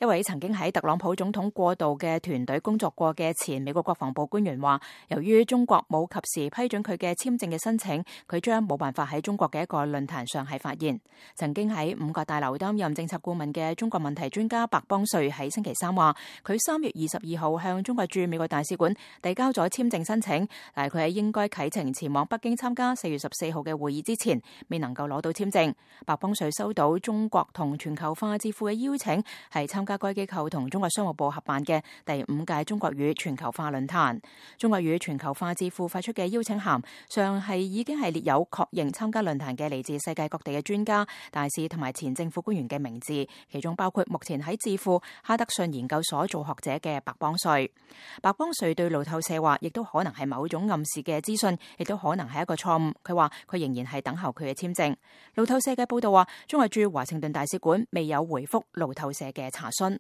一位曾經喺特朗普總統過渡嘅團隊工作過嘅前美國國防部官員話，由於中國冇及時批准佢嘅簽證嘅申請，佢將冇辦法喺中國嘅一個論壇上係發言。曾經喺五角大樓擔任政策顧問嘅中國問題專家白邦瑞喺星期三話，佢3月22號向中國駐美國大使館遞交咗簽證申請，但係佢喺應該啟程前往北京參加4月14號嘅會議之前，未能夠攞到簽證。白邦瑞收到中國同全球化智庫嘅邀請，係參加該機構同中國商務部合辦嘅第5屆中國與全球化論壇。中國與全球化智庫發出嘅邀請函上係已經係列有確認參加論壇嘅嚟自世界各地嘅專家、大使同埋前政府官員嘅名字，其中包括目前喺智庫哈德遜研究所做學者嘅白邦瑞。白邦瑞對路透社話，亦都可能係某種暗示嘅資訊，亦都可能係一個錯誤。佢話佢仍然係等候佢嘅簽證。路透社嘅報道話，中國駐華盛頓大使館未有回覆路透社嘅查詢。